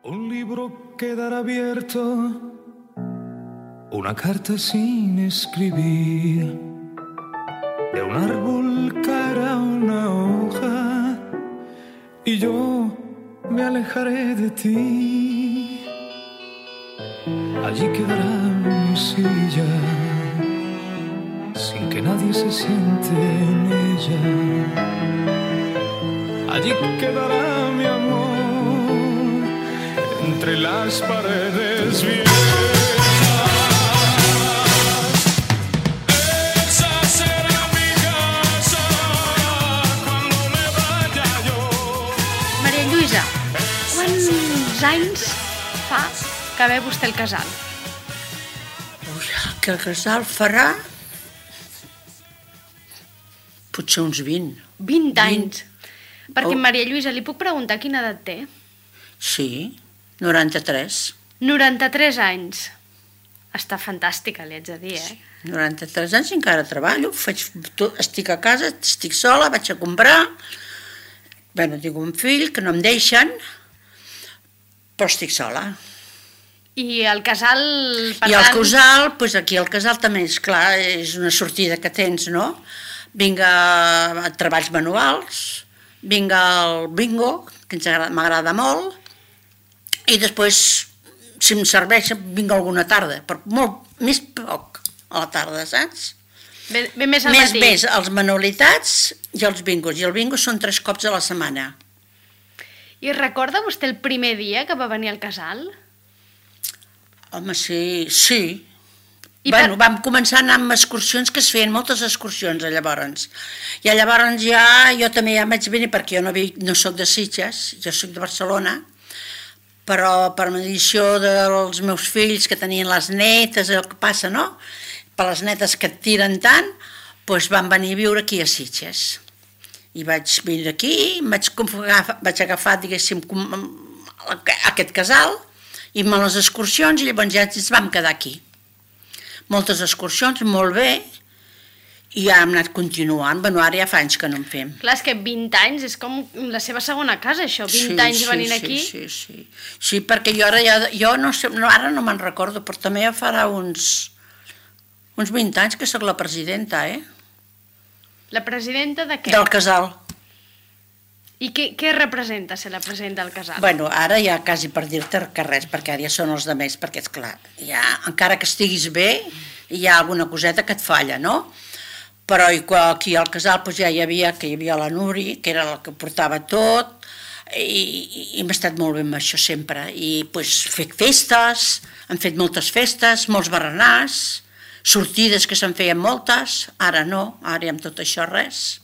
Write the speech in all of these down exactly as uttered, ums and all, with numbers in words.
Un libro quedará abierto, una carta sin escribir, de un árbol caerá una hoja y yo me alejaré de ti. Allí quedará mi silla, sin que nadie se siente en ella. Allí quedará mi amor, entre las paredes viejas. Esa será mi casa cuando me vaya yo. Maria Lluïsa, quants anys fa que ve vostè al casal? Ui, que el casal farà potser uns vint. vint anys. Perquè, Oh. Maria Lluïsa, li puc preguntar quina edat té? Sí, noranta-tres. noranta-tres anys. Està fantàstica, li haig de dir, eh? noranta-tres anys i encara treballo, faig, tot, estic a casa, estic sola, vaig a comprar. Bé, tinc un fill que no em deixen, però estic sola. I el casal, per I el tant... casal, doncs aquí el casal també, és clar, és una sortida que tens, no? Vinc a, a treballs manuals, vinc al bingo, que ens agrada, m'agrada molt, i després, si em serveix, vinc alguna tarda, però molt més poc a la tarda, saps? Ve, ve més al Més matí. més els manualitats i els bingos, i el bingo són tres cops a la setmana. I recorda vostè el primer dia que va venir al casal? Home, sí, sí. I Bueno, per- vam començar a anar amb excursions, que es feien moltes excursions, llavors. I llavors ja, jo també ja vaig venir, perquè jo no, vi, no soc de Sitges, jo soc de Barcelona, però per medició dels meus fills, que tenien les netes, el que passa, no? Per les netes que et tiren tant, doncs van venir a viure aquí a Sitges. I vaig venir aquí, em vaig, agafar, vaig agafar, diguéssim, com- aquest casal, i amb les excursions, i llavors ja ens vam quedar aquí. Moltes excursions, molt bé, i ja hem anat continuant. Bueno, ara ja fa anys que no en fem. Clar, és que vint anys és com la seva segona casa, això, vint Sí, anys sí, venint sí, aquí. Sí, sí, sí, perquè jo ara, ja, jo no sé, no, ara no me'n recordo, però també ja farà uns, uns vint anys que sóc la presidenta, eh? La presidenta de què? Del casal. I què, què representa ser la presidenta del casal? Bueno, ara ja quasi per dir-te que res, perquè ara ja són els de més, perquè és clar, ja, encara que estiguis bé, hi ha alguna coseta que et falla, no? Però aquí al casal doncs, ja hi havia, que hi havia la Nuri, que era la que portava tot, i, i, i hem estat molt bé amb això sempre. I doncs, fet festes, han fet moltes festes, molts berenars, sortides que se'n feien moltes, ara no, ara ja amb tot això res.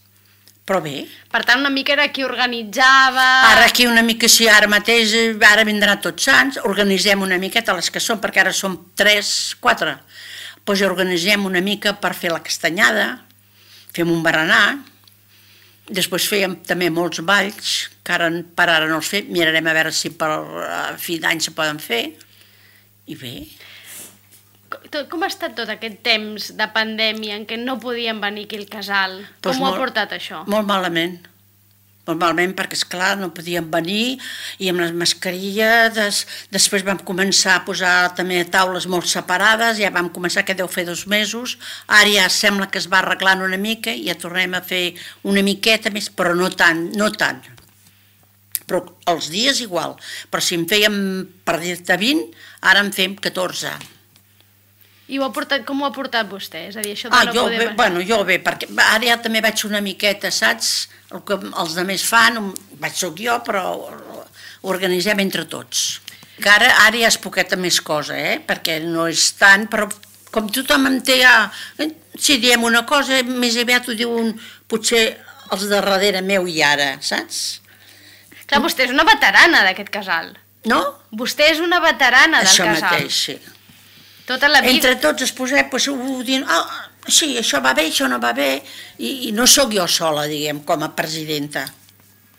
Però bé. Per tant, una mica era qui organitzava... Ara aquí una mica, sí, ara mateix, ara vindrà Tots Sants, organitzem una miqueta les que són, perquè ara som tres, quatre. Doncs organitzem una mica per fer la castanyada, fem un berenar, després fèiem també molts balls, que ara per ara no els fem, mirarem a veure si per a fi d'any se poden fer, i bé. Com ha estat tot aquest temps de pandèmia en què no podien venir aquí al casal? Com Doncs ho ha molt- portat això? Molt malament. Molt malament, perquè, esclar, no podíem venir, i amb les mascarilles, des, després vam començar a posar també taules molt separades, ja vam començar, que deu fer dos mesos, ara ja sembla que es va arreglant una mica, i ja tornem a fer una miqueta més, però no tant, no tant. Però els dies igual, però si en fèiem, per dir-te vint, ara en fem catorze. I ho ha portat, com ho ha portat vostè? És a dir, això de Ah, no jo poder... bé, bueno, jo bé, perquè ara ja també vaig una miqueta, saps? El que els altres fan, vaig soc jo, però ho organitzem entre tots. Que ara, ara ja és poqueta més cosa, eh? Perquè no és tant, però com tothom em té ja... Si diem una cosa, més aviat ho diuen potser els de darrere meu i ara, saps? Clar, vostè és una veterana d'aquest casal. No? Vostè és una veterana del Això casal. mateix, sí. Tota la vida... Entre tots es posem, doncs, ho dient, ah, sí, això va bé, això no va bé, i, i no sóc jo sola, diguem, com a presidenta.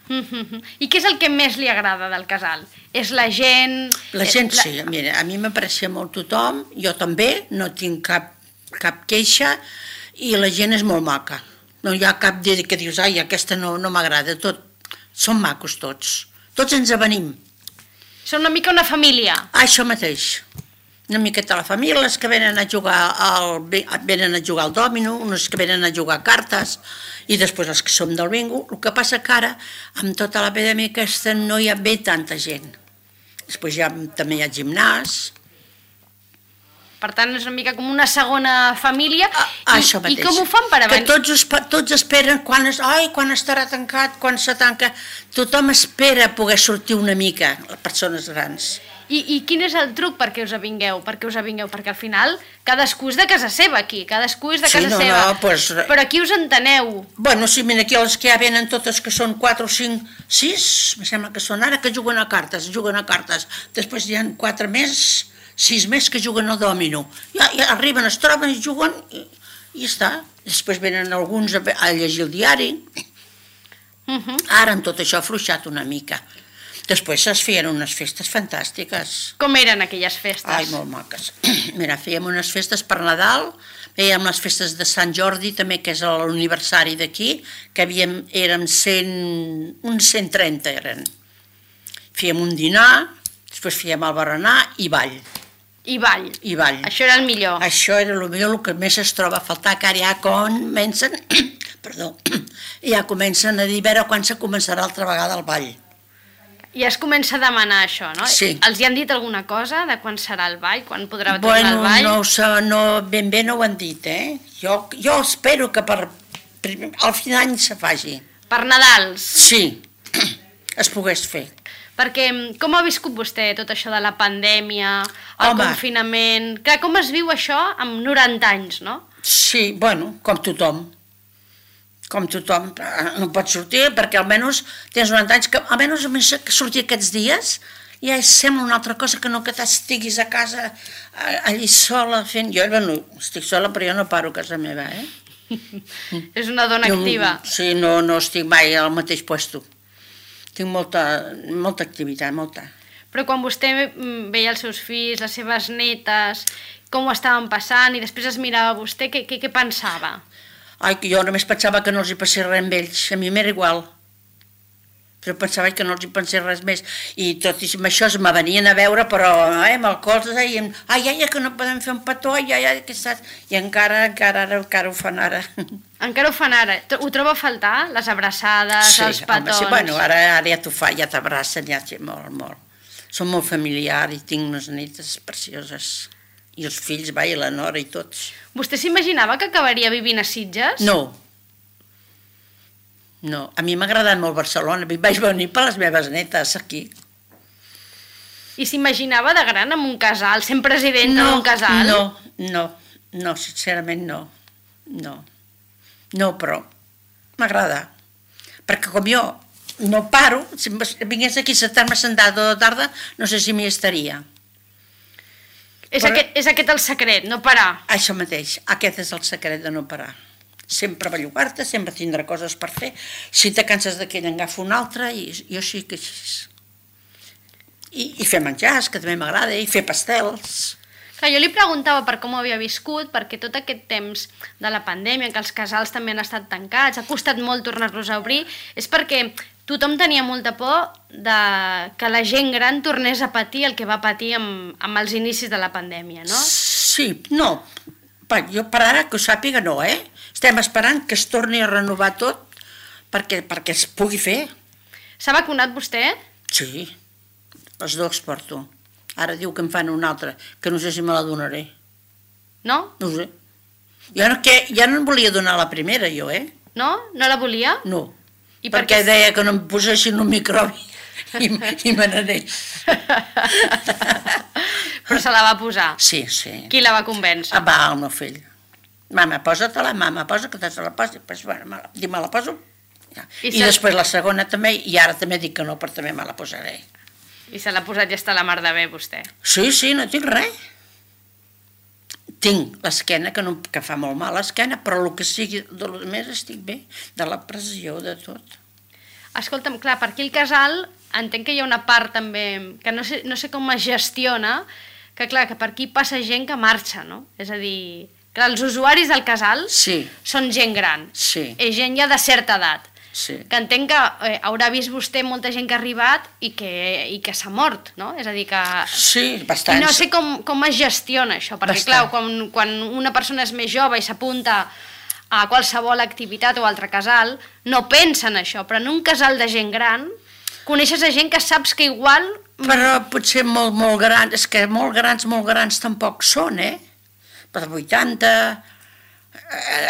I què és el que més li agrada del casal? És la gent... La gent la... sí, mira, a mi m'aprecia molt tothom, jo també, no tinc cap, cap queixa, i la gent és molt maca. No hi ha cap dia que dius, ai, aquesta no, no m'agrada, tot, són macos tots, tots ens avenim. Són una mica una família. Això mateix. Una miqueta la família, les que venen a jugar al, venen a jugar al dòmino, unes que venen a jugar a cartes, i després els que som del bingo. El que passa que ara, amb tota l'epidèmia aquesta, no hi ha bé tanta gent. Després ja, també hi ha gimnàs. Per tant, és una mica com una segona família. Ah, I, això mateix. I com ho fan per Que avançar? tots, espe- tots esperen quan, es, ai, quan estarà tancat, quan se tanca. Tothom espera poder sortir una mica, les persones grans. I, I quin és el truc perquè us avingueu? Perquè us avingueu? Perquè al final cadascú és de casa seva aquí, cadascú és de Sí, casa no, seva. no, pues- Però aquí us enteneu. Bueno, sí, mira, aquí les que ja venen totes, que són quatre o cinc, sis, em sembla que són ara, que juguen a cartes, juguen a cartes. Després hi ha quatre més, sis més que juguen al dòmino. Ja, ja arriben, es troben i juguen i, i ja està. Després venen alguns a, a llegir el diari. Uh -huh. Ara en tot això ha afluixat una mica. Després es feien unes festes fantàstiques. Com eren aquelles festes? Ai, molt maques. Mira, fèiem unes festes per Nadal, fèiem les festes de Sant Jordi, també, que és l'aniversari d'aquí, que havíem, érem cent, uns cent trenta eren. Fèiem un dinar, després fèiem el berenar i ball. I ball. I ball. Això era el millor. Això era el millor, el que més es troba a faltar, que ara ja comencen, perdó, ja comencen a dir, a veure quan se començarà altra vegada el ball. I es comença a demanar això, no? Sí. Els hi han dit alguna cosa de quan serà el ball, quan podrà tornar Bueno, el ball? no, ho sé, no, ben bé no ho han dit, eh? Jo, jo espero que per, per al final d'any se faci. Per Nadals. Sí, es pogués fer. Perquè com ha viscut vostè tot això de la pandèmia, el Home. confinament... Clar, com es viu això amb noranta anys, no? Sí, bueno, com tothom. Com tothom. No pots sortir perquè almenys tens noranta anys, que almenys que sortir aquests dies ja sembla una altra cosa que no que estiguis a casa allí sola fent... Jo, bueno, estic sola però jo no paro a casa meva, eh? És una dona activa. No, sí, no, no estic mai al mateix puesto. Tinc molta, molta activitat, molta. Però quan vostè mm, veia els seus fills, les seves netes, com ho estaven passant, i després es mirava a vostè, què, què, què pensava? Ai, que jo només pensava que no els hi passés res amb ells, a mi m'era igual. Però pensava que no els hi pensés res més. I tot i amb això me venien a veure, però eh, amb el cos deien, ai, ai, que no podem fer un petó, ai, ai, ai, que estàs... I encara, encara, ara, encara ho fan ara. Encara ho fan ara. Ho troba a faltar? Les abraçades, Sí, els home, petons? sí, bueno, ara, ara ja t'ho fa, ja t'abracen, ja t'hi molt, molt. Són molt familiars i tinc unes netes precioses. I els fills, va, i la nora i tots. Vostè s'imaginava que acabaria vivint a Sitges? No. No, a mi m'ha agradat molt Barcelona, vaig venir per les meves netes aquí. I s'imaginava de gran amb un casal, sent president d'un casal? No, no, no, sincerament no, no, no, però m'agrada, perquè com jo no paro, si vingués aquí a sentar-me sentat tota la tarda, no sé si m'hi estaria. És, Però- aquest, és aquest el secret, no parar. Això mateix, aquest és el secret de no parar. Sempre bellugar-te, sempre tindrà coses per fer. Si te canses d'aquell, agafa un altre, i jo sí que així. I, i fer menjars, que també m'agrada, i fer pastels. Clar, jo li preguntava per com ho havia viscut, perquè tot aquest temps de la pandèmia, que els casals també han estat tancats, ha costat molt tornar-los a obrir, és perquè tothom tenia molta por de que la gent gran tornés a patir el que va patir amb, amb els inicis de la pandèmia, no? Sí, no, pa, jo per ara que ho sàpiga no, eh? Estem esperant que es torni a renovar tot perquè, perquè es pugui fer. S'ha vacunat vostè? Sí, els dos porto. Ara diu que em fan una altra, que no sé si me la donaré. No? No ho sé. Jo no, que, ja no em volia donar la primera, jo, eh? No? No la volia? No, I per perquè què? deia que no em posessin un microbi i, i me n'anés. Però se la va posar. Sí, sí. Qui la va convèncer? Ah, va, el meu fill. Mama, posa-te-la, mama, posa que te se la posi. Pues, bueno, me la, dic, me la poso. Ja. I I, se- després la segona també, i ara també dic que no, però també me la posaré. I se l'ha posat i està la mar de bé, vostè. Sí, sí, no tinc res. Tinc l'esquena, que, no, que fa molt mal l'esquena, però el que sigui de lo més estic bé, de la pressió, de tot. Escolta'm, clar, per aquí el casal entenc que hi ha una part també que no sé, no sé com es gestiona, que clar, que per aquí passa gent que marxa, no? És a dir, que els usuaris del casal Sí, són gent gran, sí, és gent ja de certa edat. Sí. que entenc que eh, haurà vist vostè molta gent que ha arribat i que, i que s'ha mort, no? És a dir, que... Sí, I bastant. no sé com, com es gestiona això, perquè Bastant. clar, quan, quan una persona és més jove i s'apunta a qualsevol activitat o altre casal, no pensa en això, però en un casal de gent gran coneixes a gent que saps que igual... Però potser molt, molt grans, és que molt grans, molt grans tampoc són, eh? Per vuitanta...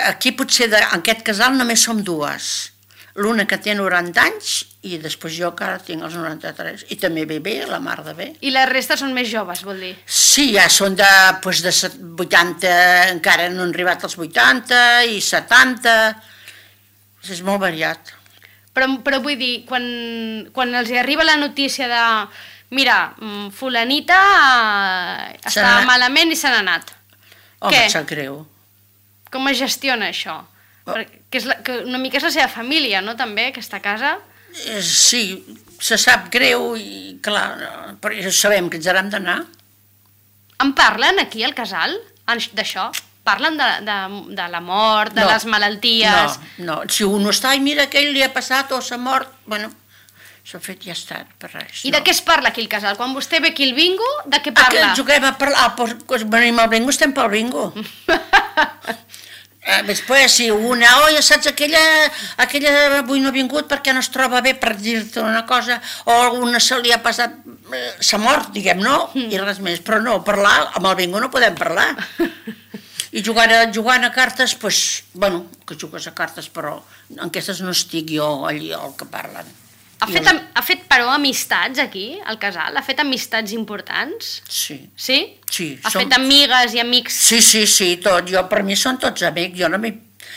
Aquí potser, de, en aquest casal només som dues. L'una que té noranta anys i després jo que ara tinc els noranta-tres. I també ve bé, la mar de bé. I les restes són més joves, vol dir? Sí, ja són de, doncs de vuitanta, encara no han arribat als vuitanta i setanta. És molt variat. Però, però vull dir, quan, quan els hi arriba la notícia de mira, fulanita eh, està anat. malament i se n'ha anat. Home, Què? em sap greu. Com es gestiona això? Oh. Perquè és la, que una mica és la seva família, no, també, aquesta casa? Eh, Sí, se sap greu i clar, però ja sabem que ens haurem d'anar. En parlen aquí al casal en- d'això? Parlen de, de, de la mort, de No, les malalties? No, no, si un està, i mira, aquell li ha passat o s'ha mort, bueno, s'ha fet i ja està, per res. I no. de què es parla aquí al casal? Quan vostè ve aquí al bingo, de què Ah, parla? que juguem a parlar, ah, doncs, doncs venim al bingo, estem pel bingo. Eh, després, si una, oi, saps, aquella, aquella avui no ha vingut perquè no es troba bé, per dir-te una cosa, o alguna se li ha passat, eh, s'ha mort, diguem, no? I res més, però no, parlar, amb el bingo no podem parlar. I jugant a, jugant a cartes, doncs, bueno, que jugues a cartes, però en aquestes no estic jo allí el que parlen. Ha I fet, el- am- ha fet, però, amistats aquí, al casal? Ha fet amistats importants? Sí. Sí? Sí, Ha som- fet amigues i amics? Sí, sí, sí, tot. Jo, per mi són tots amics. Jo, no m'hi-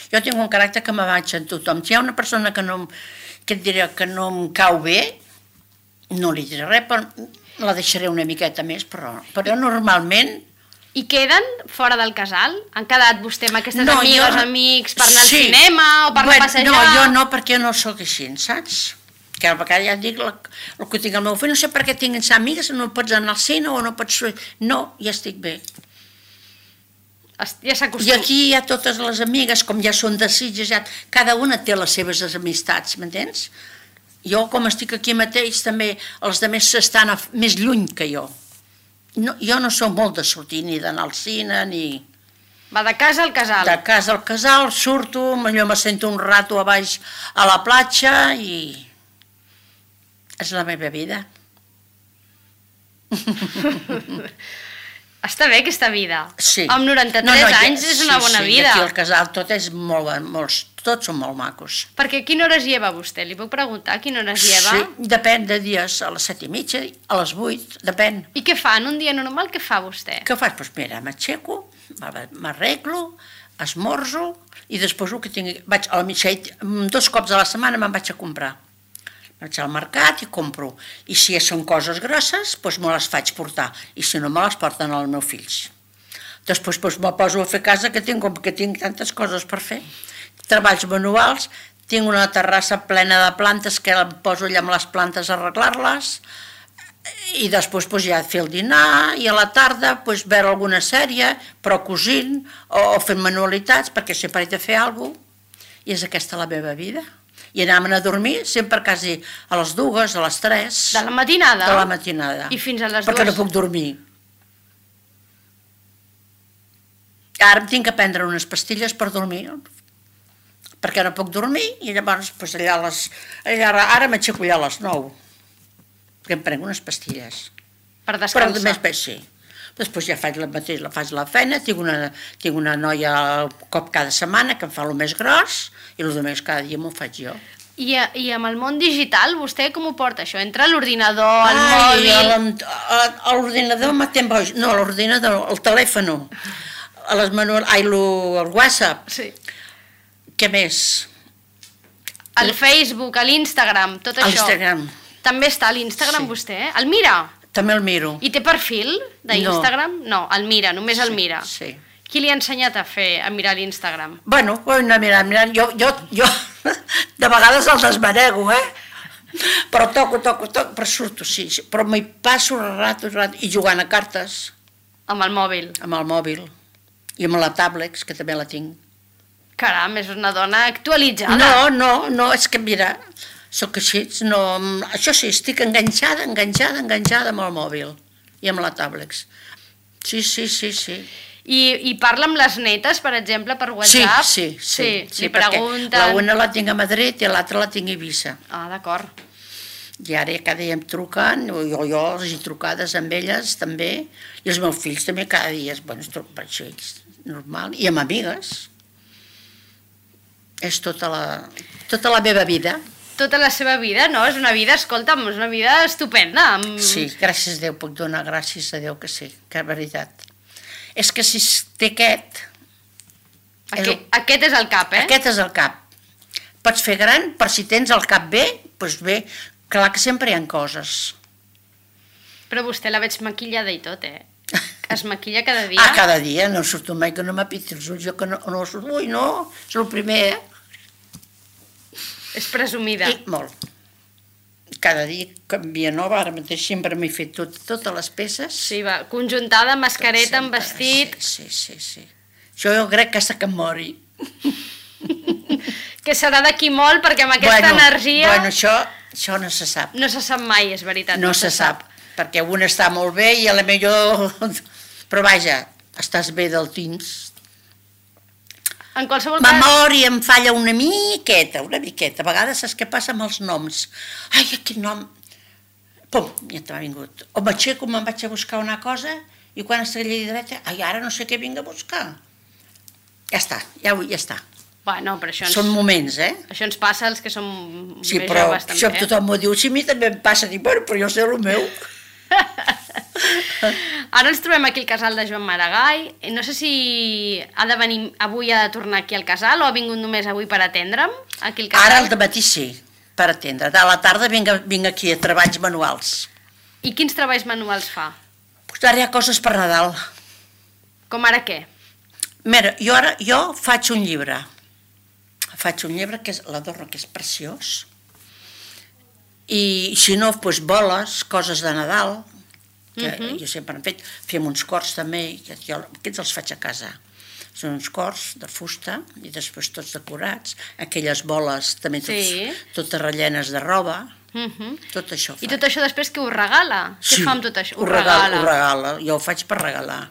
jo tinc un caràcter que me vaig en tothom. Si hi ha una persona que, no, em- que et diré que no em cau bé, no li diré res, però la deixaré una miqueta més, però, però normalment... I queden fora del casal? Han quedat vostè amb aquestes No, amigues, jo- amics, per anar sí. al cinema o per anar a passejar? No, jo no, perquè jo no sóc així, saps? Que a vegades ja et dic el, el que tinc al meu fill, no sé per què tinc amigues, no pots anar al cine o no pots... No, ja estic bé. Es- Ja I s'acostuma. aquí hi ha totes les amigues, com ja són de Sitges, ja, cada una té les seves amistats, m'entens? Jo, com estic aquí mateix, també els altres s'estan a, més lluny que jo. No, jo no sóc molt de sortir ni d'anar al cine, ni... Va de casa al casal. De casa al casal, surto, millor me sento un rato a baix a la platja i... És la meva vida. Està bé aquesta vida. Sí. Amb noranta-tres No, no, ja- anys és una sí, bona sí, vida. Aquí al casal tot és molt, molts, tots són molt macos. Perquè a quina hora es lleva vostè? Li puc preguntar a quina hora es lleva? Sí, depèn de dies, a les set i mitja, a les vuit, depèn. I què fa? En un dia normal què fa vostè? Què faig? Doncs mira, m'aixeco, m'arreglo, esmorzo i després el que tingui... Vaig a la mitja, dos cops a la setmana me'n vaig a comprar. Vaig al mercat i compro. I si són coses grosses, doncs me les faig portar. I si no, me les porten els meus fills. Després doncs, me poso a fer casa, que tinc, com que tinc tantes coses per fer. Treballs manuals, tinc una terrassa plena de plantes que em poso allà amb les plantes a arreglar-les, i després doncs, ja fer el dinar, i a la tarda doncs, veure alguna sèrie, però cosint, o, o fent manualitats, perquè sempre he de fer alguna cosa. I és aquesta la meva vida. I anàvem a dormir sempre quasi a les dues, a les tres... De la matinada? De la matinada. I fins a les Perquè dues? no puc dormir. Ara em tinc que prendre unes pastilles per dormir, perquè no puc dormir, i llavors doncs, allà a les... Allà, ara m'aixeco allà a les nou, perquè em prenc unes pastilles. Per Però descansar. més bé sí. Després ja faig la mateix, la faig la feina, tinc una, tinc una noia al cop cada setmana que em fa el més gros i el més cada dia m'ho faig jo. I, a, I amb el món digital, vostè com ho porta això? Entra a l'ordinador, al Ai, mòbil... a l'en- a- a l'ordinador matem boig. No, a l'ordinador, el telèfon, a les manual, ai, lo, el WhatsApp. Sí. Què més? Al Facebook, a l'Instagram, tot A això. l'Instagram. També està a l'Instagram Sí. vostè? El mira? També el miro. I té perfil d'Instagram? No. no, el mira, només el mira. Sí. Qui li ha ensenyat a fer, a mirar l'Instagram? Bueno, ho hem de mirar, mirar. Jo, jo, jo de vegades el desmanego, eh? Però toco, toco, toco, però surto, sí. sí. Però m'hi passo el rato, el rato, i jugant a cartes Amb el mòbil. amb el mòbil i amb la tablet, que també la tinc. Caram, és una dona actualitzada. No, no, no, és que mira, sóc així, no, això sí, estic enganxada, enganxada, enganxada amb el mòbil i amb la tablet. Sí, sí, sí, sí. I, I parla amb les netes, per exemple, per WhatsApp? Sí, sí, sí. Sí, li perquè pregunten... la una la tinc a Madrid i l'altra la tinc a Eivissa. Ah, d'acord. I ara cada dia em truquen, o jo, jo les he trucades amb elles també, i els meus fills també cada dia, bueno, per això és normal, i amb amigues. És tota la, tota la meva vida. Tota la seva vida, no? És una vida, escolta'm, és una vida estupenda. Amb... Sí, gràcies a Déu, puc donar gràcies a Déu que sí, que és veritat. És que si té aquest... Aquest, és, aquest és el cap, eh? Aquest és el cap. Pots fer gran, per si tens el cap bé, doncs bé, clar que sempre hi ha coses. Però vostè la veig maquillada i tot, eh? Es maquilla cada dia? Ah, cada dia, no surto mai que no m'apiti els ulls, jo que no, no surto, ui, no, és el primer, eh? És presumida. I molt. Cada dia canvia nova, ara mateix sempre m'he fet tot, totes les peces. Sí, va, conjuntada, mascareta, amb vestit... Sí, sí, sí, sí. Això jo crec que hasta que em mori. Que serà d'aquí molt, perquè amb aquesta bueno, energia... Bueno, això, això no se sap. No se sap mai, és veritat. No, no se, se sap, sap, perquè un està molt bé i a la millor... Però vaja, estàs bé del temps. En qualsevol cas... Memòria em falla una miqueta, una miqueta. A vegades saps què passa amb els noms? Ai, aquest nom... Pum, ja t'ha vingut. O m'aixeco, me'n vaig a buscar una cosa i quan estic allà dreta, ai, ara no sé què vinc a buscar. Ja està, ja, ja està. Bueno, però això ens... Són moments, eh? Això ens passa als que som sí, més però joves, també. Això tothom m'ho diu, sí, a mi també em passa, dic, bueno, però jo sé el meu. Ara ens trobem aquí al casal de Joan Maragall. No sé si ha de venir avui, ha de tornar aquí al casal, o ha vingut només avui per atendre'm aquí al casal? Ara al dematí sí, per atendre. A la tarda vinc, vinc aquí a treballs manuals. I quins treballs manuals fa? Pues ara hi ha coses per Nadal. Com ara què? Mira, jo ara jo faig un llibre. Faig un llibre que és l'adorno, que és preciós. I si no, doncs boles, coses de Nadal, que uh -huh. jo sempre he fet. Fem uns cors també, que jo, aquests els faig a casa. Són uns cors de fusta i després tots decorats. Aquelles boles també tots, sí. totes rellenes de roba. Uh -huh. Tot això fa. I tot això després que ho regala? Sí, què fa amb tot això? Ho regala. Ho regala, jo ho faig per regalar.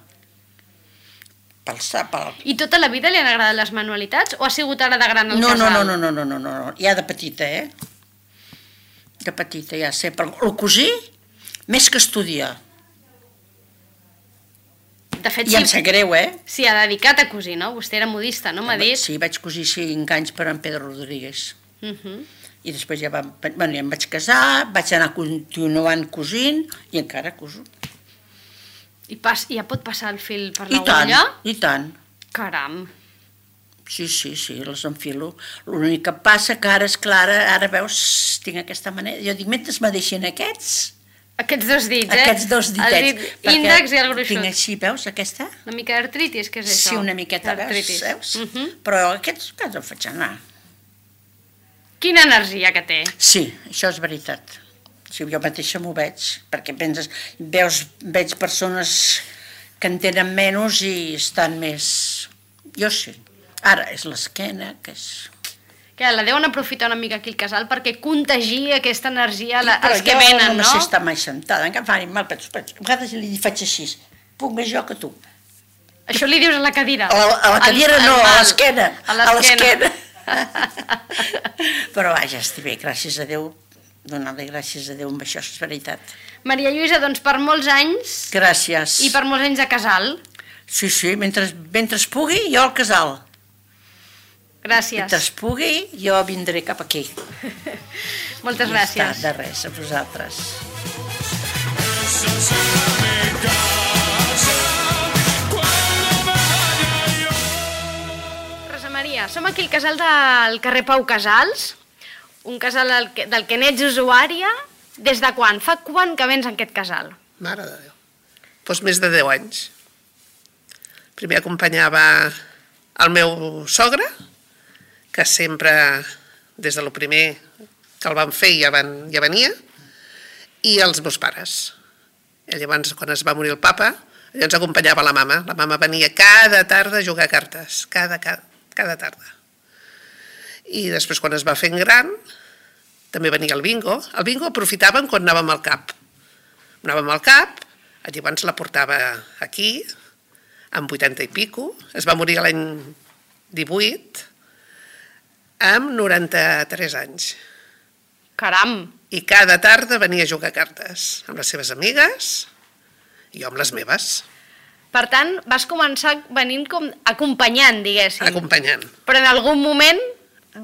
Pel, pel... I tota la vida li han agradat les manualitats o ha sigut ara de gran al no, casal? No, no, no, no, no, no, no, ja de petita, eh? De petita, ja sé. Però el cosí, més que estudiar. De fet, I em sap greu, eh? S'hi ha dedicat a cosir, no? Vostè era modista, no m'ha dit? Sí, vaig cosir cinc anys per en Pedro Rodríguez. Uh -huh. I després ja, vam, bueno, ja em vaig casar, vaig anar continuant cosint i encara coso. I pas, ja pot passar el fil per I l'agulla? tant, i tant. Caram. Sí, sí, sí, les enfilo. L'únic que passa que ara, és clara, ara veus, tinc aquesta manera. Jo dic, mentre me deixin aquests... Aquests dos dits, eh? Aquests dos ditets. El dit índex i el gruixut. Tinc així, veus, aquesta? Una mica d'artritis, què és això? Sí, una miqueta, veus? veus? Uh -huh. Però aquests, que els faig anar. Quina energia que té. Sí, això és veritat. Sí, jo mateixa m'ho veig, perquè penses, veus, veig persones que en tenen menys i estan més... Jo sí. Ara és l'esquena, que és... Que la deuen aprofitar una mica aquí al casal perquè contagi aquesta energia la, Però als que jo venen, no no? sé estar mai sentada, encara fa mal, però a vegades li faig així, puc més jo que tu. Això li dius a la cadira? A la, a la cadira el, no, el a l'esquena. A l'esquena. Però vaja, estic bé, gràcies a Déu, donar-li gràcies a Déu amb això, és veritat. Maria Lluïsa, doncs per molts anys... Gràcies. I per molts anys a casal. Sí, sí, mentre, mentre es pugui, jo al casal. Gràcies. Mentre es pugui, jo vindré cap aquí. Moltes I gràcies. Està, de res, a vosaltres. Rosa Maria, som aquí al casal del carrer Pau Casals, un casal del que, del que n'ets usuària. Des de quan? Fa quan que vens en aquest casal? Mare de Déu. Doncs més de deu anys. Primer acompanyava el meu sogre, que sempre, des de lo primer que el van fer, ja, van, ja venia, i els meus pares. I llavors, quan es va morir el papa, llavors acompanyava la mama. La mama venia cada tarda a jugar a cartes, cada, cada, cada tarda. I després, quan es va fent gran, també venia el bingo. El bingo aprofitàvem quan anàvem al cap. Anàvem al cap, llavors la portava aquí, amb vuitanta i pico, es va morir l'any divuit, amb noranta-tres anys. Caram! I cada tarda venia a jugar a cartes amb les seves amigues i jo amb les meves, Per tant, vas començar venint com acompanyant, diguéssim. acompanyant. Però en algun moment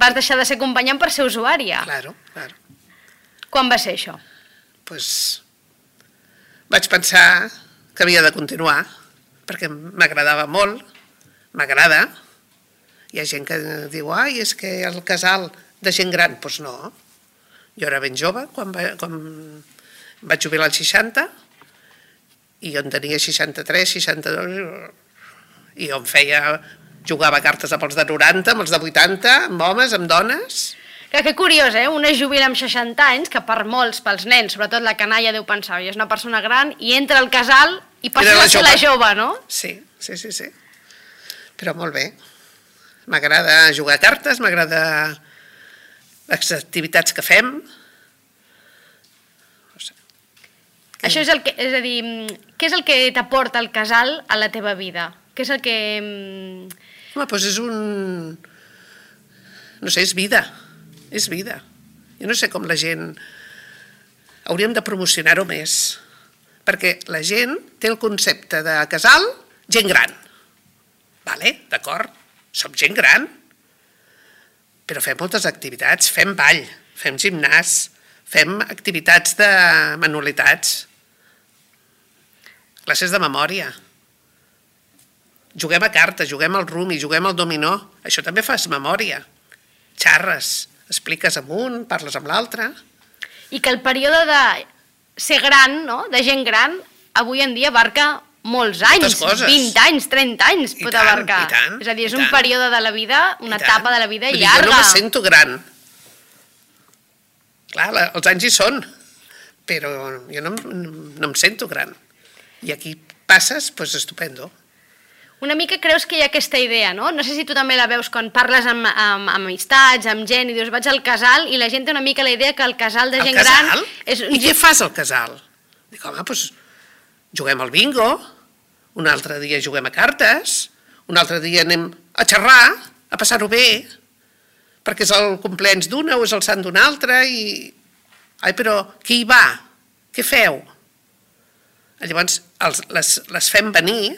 vas deixar de ser acompanyant per ser usuària. Claro, claro. Quan va ser això? Pues, vaig pensar que havia de continuar, perquè m'agradava molt, m'agrada. Hi ha gent que diu, ai, és que el casal de gent gran, doncs pues no. Jo era ben jove, quan, va, quan vaig jubilar als seixanta, i jo en tenia seixanta-tres, seixanta-dos, i jo em feia, jugava a cartes amb els de noranta, amb els de vuitanta, amb homes, amb dones. Que, que curiós, eh? Una es jubila amb seixanta anys, que per molts, pels nens, sobretot la canalla, deu pensar, i és una persona gran, i entra al casal i passa Era la a ser jove. la jove, no? Sí, sí, sí, sí. Però molt bé. M'agrada jugar a cartes, m'agrada les activitats que fem. No sé. Això és el que, és a dir, què és el que t'aporta el casal a la teva vida? Què és el que... Home, doncs és un... No sé, és vida. És vida. Jo no sé com la gent... Hauríem de promocionar-ho més. Perquè la gent té el concepte de casal gent gran. Vale, d'acord, som gent gran, però fem moltes activitats, fem ball, fem gimnàs, fem activitats de manualitats, classes de memòria, juguem a cartes, juguem al rumi, juguem al dominó, això també fas memòria, xarres, expliques amb un, parles amb l'altre. I que el període de ser gran, no?, de gent gran, avui en dia abarca molts anys, Moltes coses. vint anys, trenta anys I pot tant, abarcar. i tant, és a dir, és i un tant. període de la vida, una I tant. etapa de la vida Vull dir, llarga. Jo no me sento gran. Clar, la, els anys hi són, però jo no, no em sento gran. I aquí passes, doncs estupendo. Una mica creus que hi ha aquesta idea, no? No sé si tu també la veus quan parles amb, amb, amb amistats, amb gent, i dius, vaig al casal, i la gent té una mica la idea que el casal de Al gent casal? gran... És un... I què fas al casal? Dic, home, doncs juguem al bingo, un altre dia juguem a cartes, un altre dia anem a xerrar, a passar-ho bé, perquè és el compleanys d'una o és el sant d'una altra, i... Ai, però qui hi va? Què feu? Llavors, els, les, les fem venir,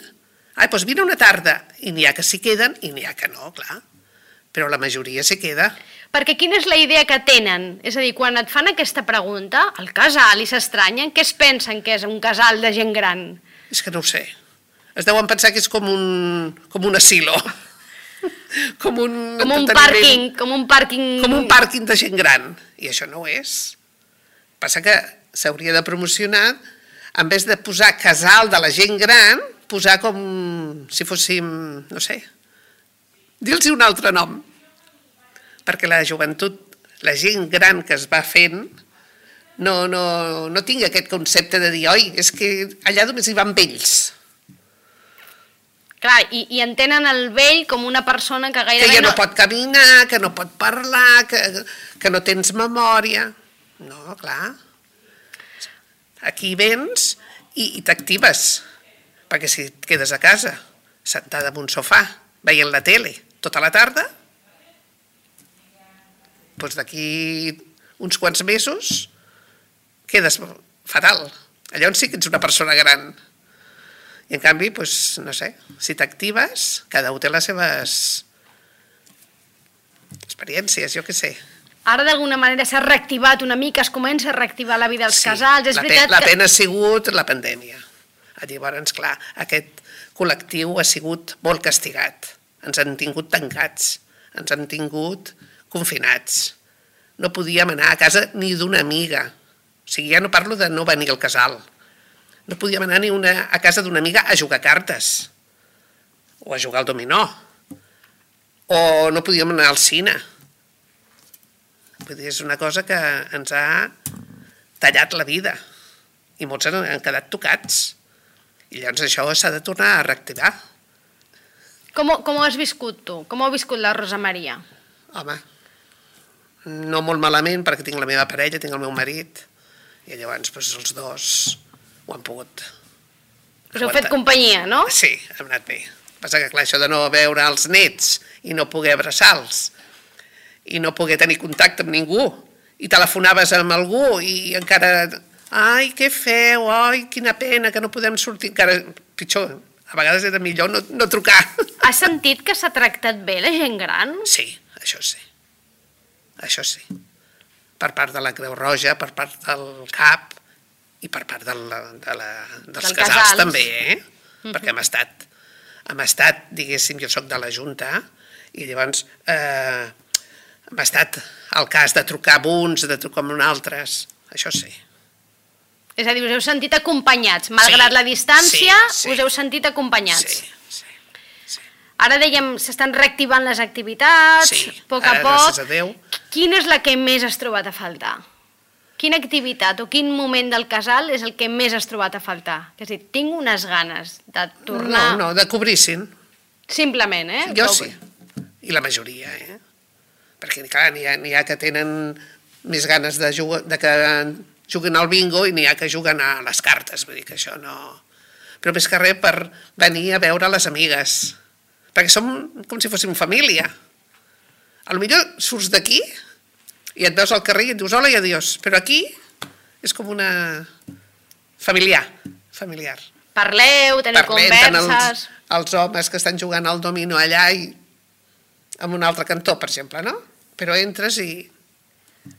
ai, doncs vine una tarda, i n'hi ha que s'hi queden i n'hi ha que no, clar, però la majoria s'hi queda. Perquè quina és la idea que tenen? És a dir, quan et fan aquesta pregunta, el casal, i s'estranyen, què es pensen que és un casal de gent gran? És que no ho sé. Es deuen pensar que és com un, com un asilo. com un, Com un entreteniment. pàrquing, com un pàrquing... Com un pàrquing de gent gran. I això no ho és. Passa que s'hauria de promocionar, en vez de posar casal de la gent gran, posar com si fóssim, no sé, dir-los un altre nom. Perquè la joventut, la gent gran que es va fent, no, no, no tingui aquest concepte de dir, oi, és que allà només hi van vells. Clar, i, i entenen el vell com una persona que Que gairebé ja no pot caminar, que no pot parlar, que, que no tens memòria. No, clar. Aquí vens i, i t'actives. Perquè si et quedes a casa, sentada en un sofà, veient la tele tota la tarda, doncs d'aquí uns quants mesos quedes fatal. Llavors sí que ets una persona gran. I en canvi, doncs, no sé, si t'actives, cada un té les seves experiències, jo què sé. Ara d'alguna manera s'ha reactivat una mica, es comença a reactivar la vida dels casals, és la, veritat pe la que... pena ha sigut la pandèmia. Llavors, clar, aquest col·lectiu ha sigut molt castigat. Ens han tingut tancats, ens han tingut confinats. No podíem anar a casa ni d'una amiga. O sigui, ja no parlo de no venir al casal. No podíem anar ni una, a casa d'una amiga a jugar cartes, o a jugar al dominó, o no podíem anar al cine. Vull dir, és una cosa que ens ha tallat la vida, i molts han, han quedat tocats. I llavors això s'ha de tornar a reactivar. Com, ho- com ho has viscut tu? Com ho ha viscut la Rosa Maria? Home, no molt malament, perquè tinc la meva parella, tinc el meu marit, i llavors doncs, els dos ho han pogut Us heu fet companyia, no? Sí, hem anat bé. Passa que, clar, això de no veure els nets i no poder abraçar-los i no poder tenir contacte amb ningú i telefonaves amb algú i encara... Ai, què feu? Ai, quina pena que no podem sortir. Encara pitjor, a vegades era millor no, no trucar. Has sentit que s'ha tractat bé la gent gran? Sí, això sí. Això sí. Per part de la Creu Roja, per part del C A P i per part de la, de la, dels Del casals, casals. també, eh? Uh-huh. Perquè hem estat, hem estat, diguéssim, jo soc de la Junta, i llavors eh, hem estat al cas de trucar amb uns, de trucar amb altres, això sí. És a dir, us heu sentit acompanyats, malgrat Sí, la distància, sí, sí. us heu sentit acompanyats. Sí, sí, sí. Ara dèiem, s'estan reactivant les activitats, Sí, a poc a ara, poc. gràcies a Déu. Quina és la que més has trobat a faltar? Quina activitat o quin moment del casal és el que més has trobat a faltar? Que és a dir, tinc unes ganes de tornar... No, no, de cobrissin. Simplement, eh? Jo Que ho- sí, i la majoria, eh? Perquè, clar, n'hi ha, n'hi ha que tenen més ganes de, jugar, de que juguen al bingo i n'hi ha que juguen a les cartes, vull dir que això no... Però més que res per venir a veure les amigues, perquè som com si fóssim família. A lo millor surts d'aquí i et veus al carrer i et dius hola i adiós, però aquí és com una familiar, familiar. Parleu, teniu Parlem tant converses... els, els homes que estan jugant al domino allà i en un altre cantó, per exemple, no? Però entres i...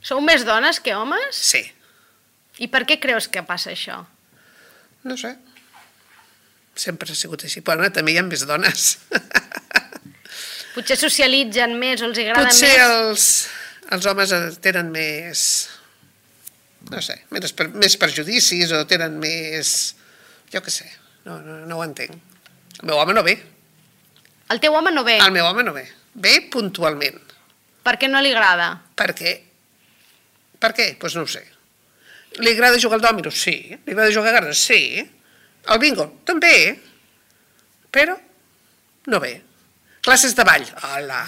Sou més dones que homes? Sí, I per què creus que passa això? no sé. Sempre ha sigut així, però no, també hi ha més dones. Potser socialitzen més o els agrada Potser més? els, els homes tenen més... No sé, més, per, més perjudicis o tenen més... Jo què sé, no, no, no ho entenc. El meu home no ve. El teu home no ve. El meu home no ve. Ve puntualment. Per què no li agrada? Per què? Per què? Doncs pues no ho sé. Li agrada jugar al dòmino? Sí. Li agrada jugar a cartes? Sí. Al bingo? També. Però no ve. Classes de ball? Hola.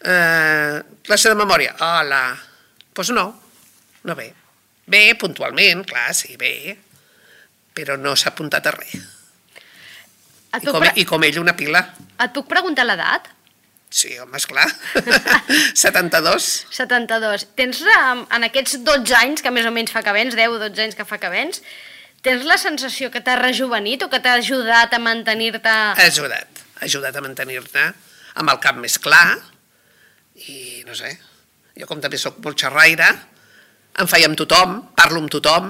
Uh, classe de memòria? Hola. Doncs pues no, no ve. Ve puntualment, clar, sí, ve, però no s'ha apuntat a res. Et I puc, com, pre I com ell una pila. et puc preguntar l'edat? Sí, home, esclar. setanta-dos. setanta-dos. Tens, um, en aquests dotze anys, que més o menys fa que vens, deu o dotze anys que fa que vens, tens la sensació que t'ha rejuvenit o que t'ha ajudat a mantenir-te... Ha ajudat, ha ajudat a mantenir-te amb el cap més clar i no sé, jo com també sóc molt xerraire, em faig amb tothom, parlo amb tothom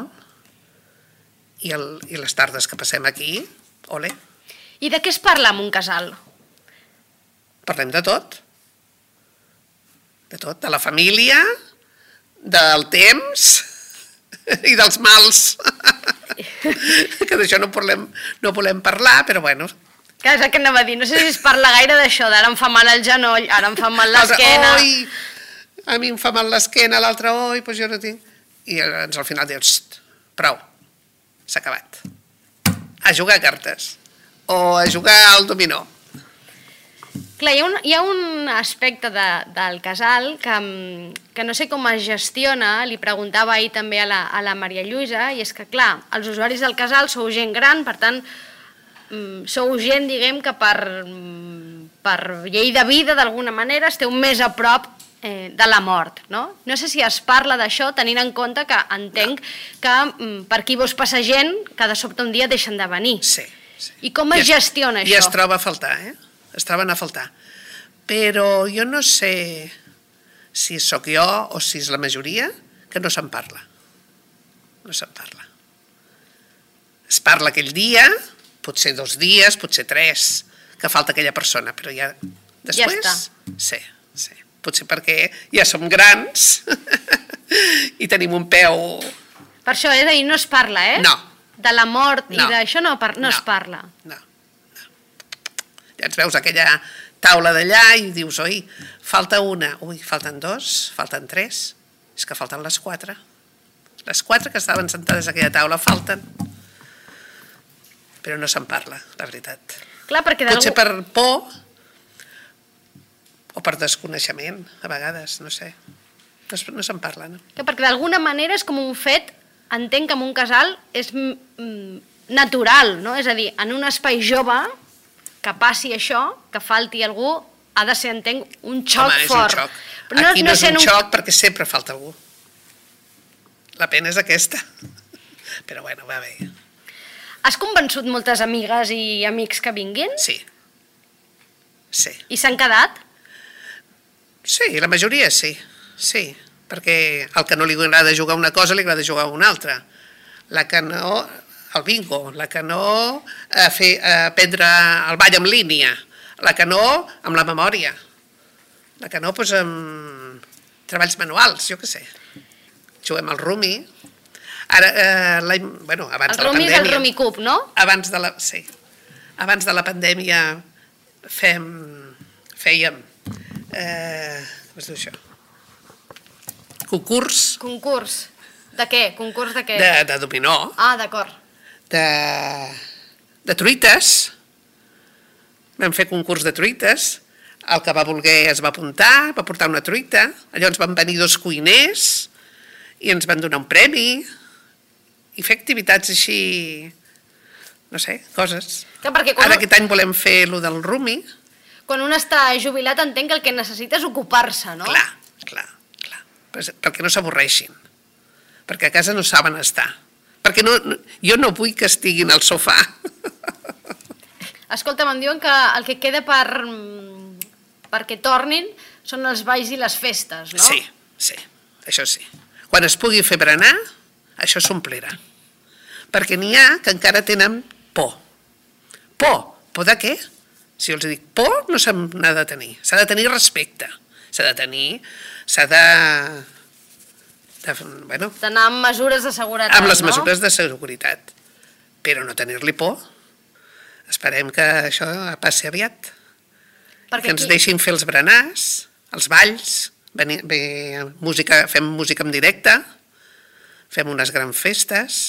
i, el, i les tardes que passem aquí, ole, I de què es parla en un casal? parlem de tot, de tot, de la família, del temps i dels mals, que d'això no volem, no volem parlar, però bueno, Que és el que anava a dir, no sé si es parla gaire d'això, d'ara em fa mal el genoll, ara em fa mal l'esquena... Oi, a mi em fa mal l'esquena, l'altre, oi, doncs jo no tinc... I llavors al final dius, prou, s'ha acabat. A jugar a cartes, o a jugar al dominó. Clar, hi ha un, hi ha un aspecte de, del casal que, mm, que no sé com es gestiona, li preguntava ahir també a la, a la Maria Lluïsa, i és que, clar, els usuaris del casal sou gent gran, per tant, mm, sou gent, diguem, que per, mm, per llei de vida, d'alguna manera, esteu més a prop eh, de la mort, no? No sé si es parla d'això, tenint en compte que entenc que mm, per aquí vos passa gent que de sobte un dia deixen de venir. Sí, sí. I com es gestiona I això? es troba a faltar, eh? Es troben a faltar. Però jo no sé si sóc jo o si és la majoria que no se'n parla. No se'n parla. Es parla aquell dia, potser dos dies, potser tres, que falta aquella persona, però ja després... Ja està. Sí, sí. Potser perquè ja som grans i tenim un peu... Per això, és a dir, no es parla, eh? No. De la mort i No. d'això no, par no, No. es parla. No, no. Ja ens veus aquella taula d'allà i dius, oi, falta una, ui, falten dos, falten tres, és que falten les quatre. Les quatre que estaven sentades a aquella taula falten. Però no se'n parla, la veritat. Clar, perquè Potser d'algú... per por o per desconeixement, a vegades, no sé. No, es- no se'n parla, no? Que perquè d'alguna manera és com un fet, entenc que en un casal és mm, mm, natural, no? És a dir, en un espai jove, que passi això, que falti algú, ha de ser, entenc, un xoc Home, és fort. un xoc. Però Aquí no, és sent un xoc perquè sempre falta algú. La pena és aquesta. Però bueno, va bé. Has convençut moltes amigues i amics que vinguin? Sí. Sí. I s'han quedat? Sí, la majoria sí. Sí, perquè al que no li agrada jugar una cosa li agrada jugar una altra. La que no, el bingo, la que no, a fer, a aprendre el ball en línia, la que no, amb la memòria, la que no, doncs, amb treballs manuals, jo què sé. Juguem al rumi. Ara, eh, l'any, bueno, abans El de la rumi és pandèmia... el rumi cub, no? Abans de la, sí. Abans de la pandèmia fem, fèiem... Eh, com es diu això? Concurs Concurs. De què? Concurs de què? de, de dominó, Ah, d'acord. de, de truites. Vam fer concurs de truites. El que va voler es va apuntar, va portar una truita. Llavors van venir dos cuiners i ens van donar un premi i fer activitats així, no sé, coses. Que perquè quan, Ara aquest any volem fer lo del rumi. quan un està jubilat entenc que el que necessita és ocupar-se, no? Clar, clar, clar. Però- Perquè no s'avorreixin. Perquè a casa no saben estar. Perquè no, no, jo no vull que estiguin al sofà. Escolta, em diuen que el que queda per, mm, perquè tornin són els balls i les festes, no? Sí, sí, això sí. Quan es pugui fer berenar, això s'omplirà. Perquè n'hi ha que encara tenen por. Por. Por de què? Si jo els dic por, no se n'ha de tenir. S'ha de tenir respecte. S'ha de tenir... S'ha de... de bueno, D'anar amb mesures de seguretat, amb les no? mesures de seguretat. Però no tenir-li por. Esperem que això passi aviat. Perquè Que ens aquí- deixin fer els berenars, els balls, venir, ve, música, fem música en directe, fem unes grans festes,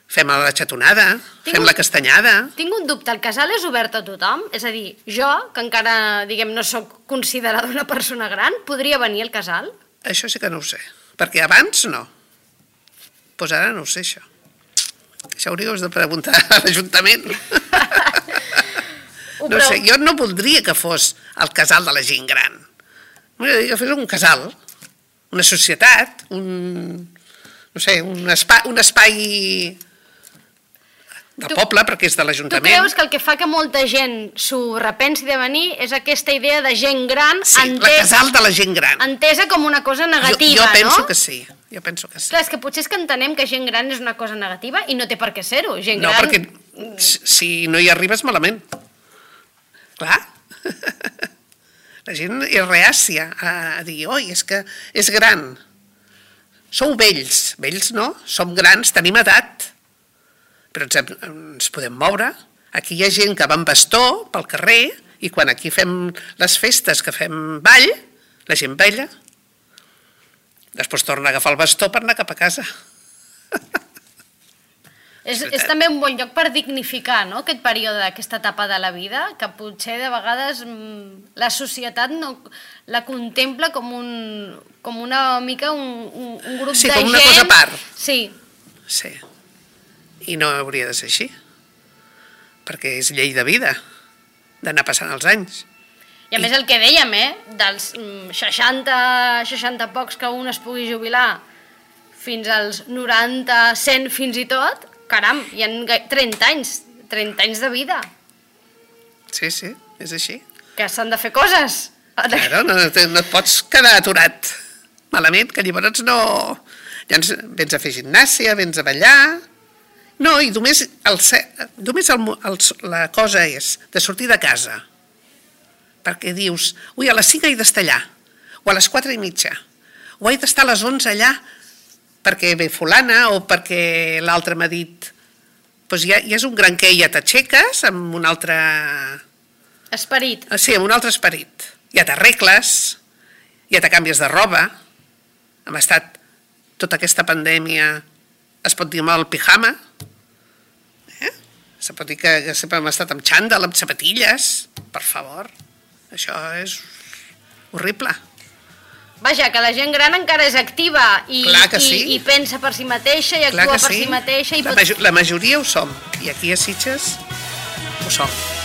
fem la xatonada, Tinc fem un- la castanyada. Tinc un dubte, el casal és obert a tothom? És a dir, jo, que encara, diguem, no sóc considerada una persona gran, podria venir al casal? Això sí que no ho sé, perquè abans no. Doncs ara no ho sé, això. Això hauríeu de preguntar a l'Ajuntament. Ho No preu- sé, jo no voldria que fos el casal de la gent gran. M'agradaria que fos un casal, una societat, un, no sé, un espai, un espai del Tu- poble, perquè és de Tu l'Ajuntament. creus que el que fa que molta gent s'ho repensi de venir és aquesta idea de gent gran Sí, la entesa, casal de la gent gran. entesa com una cosa negativa, jo, jo penso no? que sí, jo penso que sí. Clar, és que potser és que entenem que gent gran és una cosa negativa i no té per què ser-ho. Gent No, gran... perquè si si no hi arribes malament. Clar. La gent és reàcia a, a dir, oi, és que és gran. Sou vells. Vells no, som grans, tenim edat. Però ens, hem- ens podem moure. Aquí hi ha gent que va amb bastó pel carrer i quan aquí fem les festes, que fem ball, la gent balla. Després torna a agafar el bastó per anar cap a casa. És, és també un bon lloc per dignificar, no?, aquest període, aquesta etapa de la vida, que potser de vegades mm, la societat no, la contempla com, un, com una mica un, un, un grup Sí, de com gent... una cosa a part. Sí, Sí. I no hauria de ser així. Perquè és llei de vida, d'anar passant els anys. i a més el que dèiem, eh, dels mm, seixanta, seixanta pocs que un es pugui jubilar fins als noranta, cent fins i tot, caram, hi ha gai- trenta anys, trenta anys de vida, Sí, sí, és així. que s'han de fer coses. Claro, no, no et pots quedar aturat malament, que llavors no... Llavors vens a fer gimnàsia, vens a ballar... No, i només, el, ce- només el, mo- el, la cosa és de sortir de casa, perquè dius, ui, a les cinc he d'estar allà, o a les quatre i mitja, o he d'estar a les onze allà, perquè ve fulana o perquè l'altre m'ha dit... Doncs ja, ja és un gran què, ja t'aixeques amb un altre... Esperit. Sí, amb un altre esperit. Ja t'arregles, ja te canvies de roba. Hem estat tota aquesta pandèmia, es pot dir amb el pijama. Eh? Se pot dir que, que sempre hem estat amb xandall, amb sapatilles. Per favor, això és... horrible. Vaja, que la gent gran encara és activa i, Clar que sí. i, i pensa per si mateixa i Clar actua que per sí. si mateixa. I La, pot... major, la majoria ho som, i aquí a Sitges ho som.